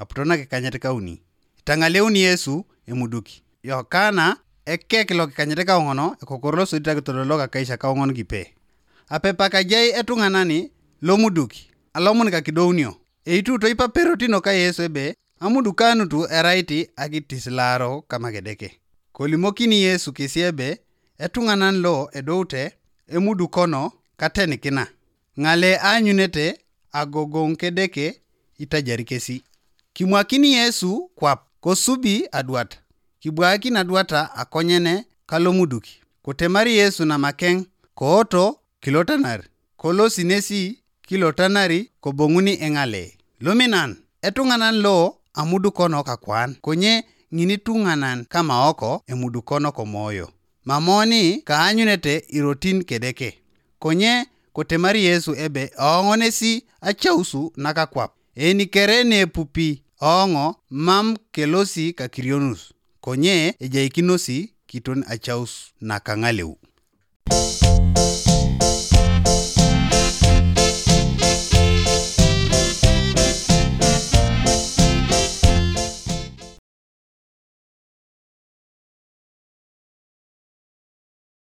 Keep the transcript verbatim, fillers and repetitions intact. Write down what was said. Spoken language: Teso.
aputo nakikanyet kauni. Itang'aleuni Yesu emuduk. Yokana, ekek lokikanyet kaoŋon, ekokoro losodit akitodolok akaisha kaoŋon kipe. Apepak ajai etuŋanani lomuduk, alomun kakidounio. Eitu toipaperotino ka Yesu ebe, amudukanut erait akitisilaaro kama Kedeke. Kolimokini Yesu kesi ebe, etuŋanan lo edoute emudukono katenikina. Ŋale aanyunete agogoŋ Kedeke itajari kesi. Kimwakini Yesu kwap, kosubi adwat. Kibwaakin adwata akonyene kalomuduk. Kotemari Yesu namakeŋ, kooto kilotanar. Kolosi nesi kilotanari koboŋuni eŋale. Luminan, etuŋanan lo amudukono kakwan, konye ŋinituŋanan kamaoko emudukono komoyo. Mamoni kaanyunete irotin Kedeke. Konye kotemari Yesu ebe ooŋonesi acausu nakakwap. Enikere nepupi ooŋo mam kelosi kakirionus, konye ejaikinosi kiton acaus nakaŋaleu.